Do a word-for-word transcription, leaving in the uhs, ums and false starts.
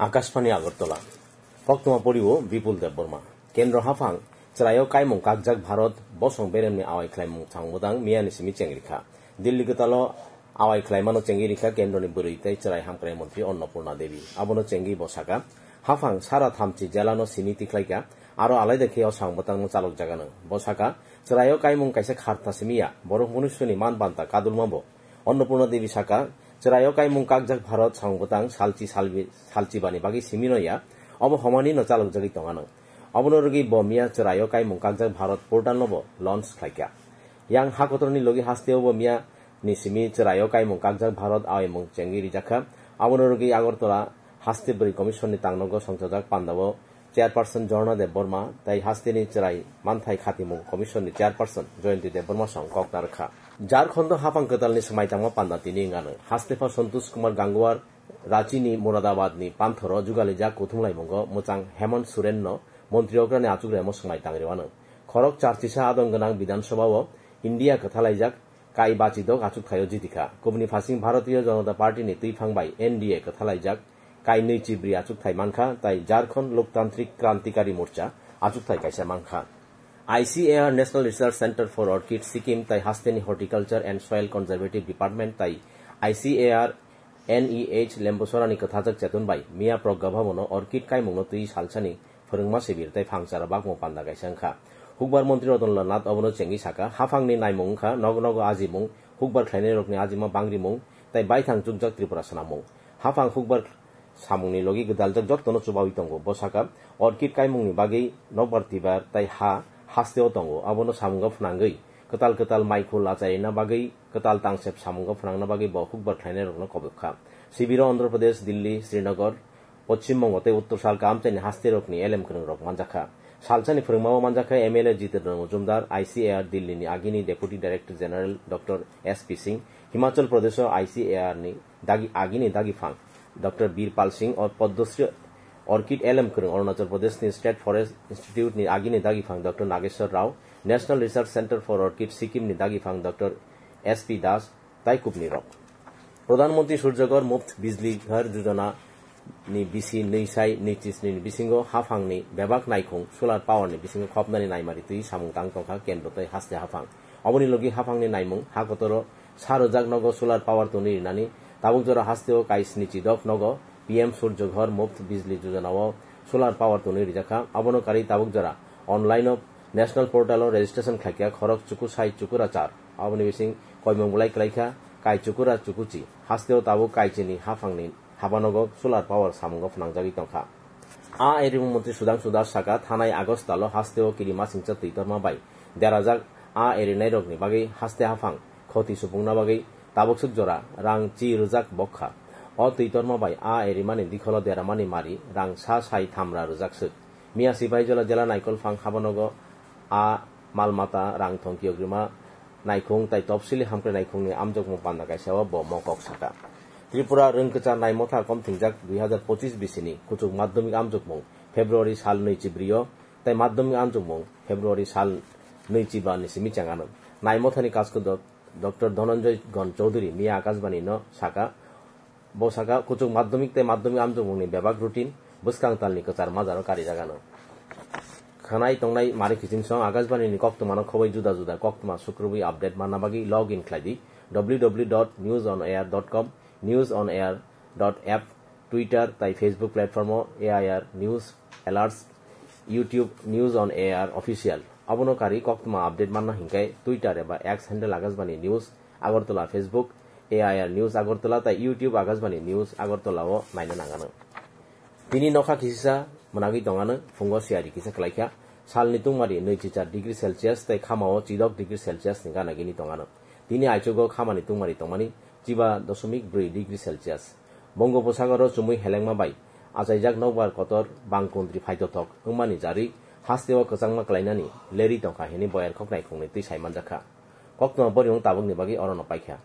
Akashbani Agartala. Koktwma poriwo Bipul Debbarma. Kendro haphang chwraio kaimung kakjak Bharat bosong beremni awai khlaimung chwng bwtang miyani simi chengrikha. Delhi kwtalo awai khlaimano chengwi rikha kendroni bwrwi tei chwrai hamkrai montri Annapurna Devi. Abono chengwi bo saka, haphang sara thamchi jelano simi tikhlaikha, aro alaida khe o chwng bwtangno chalokjagano. Bo saka, chwraio kaimung kaisa kharta simi ya, borok munuiswrwni man banta kadulma bo. Annapurna Devi saka, chwraio kaimung kakjak Bharat chwng bwtang salchi salbi-, salchibani bagwi simino ya, obo homani no chalokjagwi tongano. Obono rwgwi bo miya chwraio kaimung kakjak Bharat portal no bo launch khlaikha. Yang hakotorni logi hasteo bo miya ni simi chwraio kaimung kakjak Bharat awaimung chengwi rijakha. Abono rwgwi Agartala haste bwrwi commission ni tangnogo songchajak pandao chairperson Jorna Debbarma tei hasteni chwrai manthai khatimung commission ni chairperson Jayanti Debbarma song kok narwkha. Jharkhando haphang kwtalni swmai tangma panda tini wngano. Hastepha Santosh Kumar Gangwar Rachini Muradabadni panthoro jugalijak kuthumlaimungo mwchang Hemant Sorenno montri okrani achukremo swmai tangriwano. Khorok charchisa adong gwnang Bidhan Sabhao India kwthalaijak kai bachidok achukthaio jitikha. Kubuni phasing Bharatiya Janata Party ni twiphang bai N D A kwthalaijak kai nwi chibri achukthai mankha, tai Jharkhand Loktantrik Krantikari Morcha achukthai kaisa mankha. I C A R National Research Center for Orchid Sikkim tai hasteni Horticulture and Soil Conservative Department tai I C A R N E H Lembosorani kwthajak chetun bai miya Pragya Bhabono orchid kaimungno twi salsani phwrwngma sibir tei phangchara bakmung panda kaisa wngkha. Hukbar montri Ratan Lal Nath obono chengwi saka, haphangni naimung wngkha nogo nogo ajimung, hukbar khlainairokni ajima bangrimung tei baithang chukjak Tripura swnammung. Haphang hukbar samungni logi gwdaljak jottono chubawi tongo. Bo saka, orchid kaimungni bagwi nokbar twibar tei ha hasteo tongo, abono samungo phnangwi kwtal kwtal maikhul achairina bagwi kwtal tangsep samungo phnangna bagwi bo hukbar khlainairokno kobokha. Sibiro Andhra Pradesh, Delhi, Srinagar, Poschim Bongo tei Uttor salka amchaini hasterokni elem kwrwngrok manjakha. Salsani phwrwngmao manjakha M L A Jitendra Majumdar, I C A R Delhi ni agini Deputy Director General Doctor S P Singh, Himachal Pradesh o I C A R ni dagi, agini dagiphang Doctor Birpal Singh, o Padma Shri Orchid elem kwrwng Arunachal Pradesh ni State Forest Institute ni agini dagiphang Doctor Nageshwar Rao, National Research Center for Orchid Sikkim ni dagiphang Doctor S P Das, tai kubni rok. Pradhan Mantri Surjya Ghar Muft Bijli Ghar Yojana ni bisi nwi sai nwi chisni ni bisingo haphangni bebak naikhung solar power ni bisingo khopnani naimari twi samung tang tongkha kendro tei haste haphang. Oboni logi haphangni naimung ha kotoro sa rwjak nogo solar power tonwi rinani, tabuk jora hasteo kai sni chidok nogo P M Surjya Ghar Muft Bijli Yojana o solar power tonwi rijakha. Abono karwi tabuk jora online o National Portal o registration khlaikha khorok chuku sai chukura char. Aboni bising koimung bolai kwlaikha kai chukura chukuchi. Hasteo tabuk kaichini haphangni habanogo solar power samungo phnangjagwi tongkha. A erimung montri Sudhangshu Das saka, thanai August talo hasteo kirimasingcha twi torma bai derajak a erinairokni bagwi haste haphang khoti supungna bagwi tabukswk jora rang chi rwjak bokha. O twi torma bai a erimani dikholo deramani mari rang sa sai thamra rwjak swk. Miya Sipahijola jela Naikolphang habanogo a malmata rang thongkiyok rima naikhung tai topsili hamkrai naikhungni amjokmung panda kaisa o bo mokok saka. Tripura rwngkwchar naimotha komthingjak dui hazar pochis bisini kuchuk madhyamik amjokmung February sal nwi chibrio tai madhyamik amjokmung February sal nwi chiba ni simi chengano. Naimothani kasku do-, Doctor Dhananjay Gon Chowdhury miya Akashbani no saka, Bo saka, kuchuk madhyamik tei madhyamik amjokmungni bebak routine bwskang talni kwchar majaro karijagano. Khwnai tongnai mari kiching song Akashbani ni koktwmano khoboi juda juda koktwma sukrubwi update manna bagwi log in khlai di W W W dot news on air dot com, news on air dot app, Twitter tai Facebook platform o A I R News Alerts, YouTube News on A I R Official. Abono kari koktwma update manna hinkhe Twitter eba X handle Akashbani News Agartala, Facebook A I R News Agartala tai YouTube Akashbani News Agartala o naina nangano. Tini nokha kisisa mwnagwi tongano, phungo siyari kisa khlaikha. Salni tungmari nwi chichar degree Celsius tai khamao chidok degree Celsius ni gana gini tongano. Tini aichugo khamani tungmari tongmani chiba dosomik bwrwi degree Celsius. Bongoposagoro chumui helengma bai achaijak nokbar kotor bangkundri phaitothok wngmani jarwi hasteo kwchangma klainani lerwi tongkha hwnwi boyar khoknai khungni twi saimanjakha. Koktwma borimung tabukni bagwi orono paikha.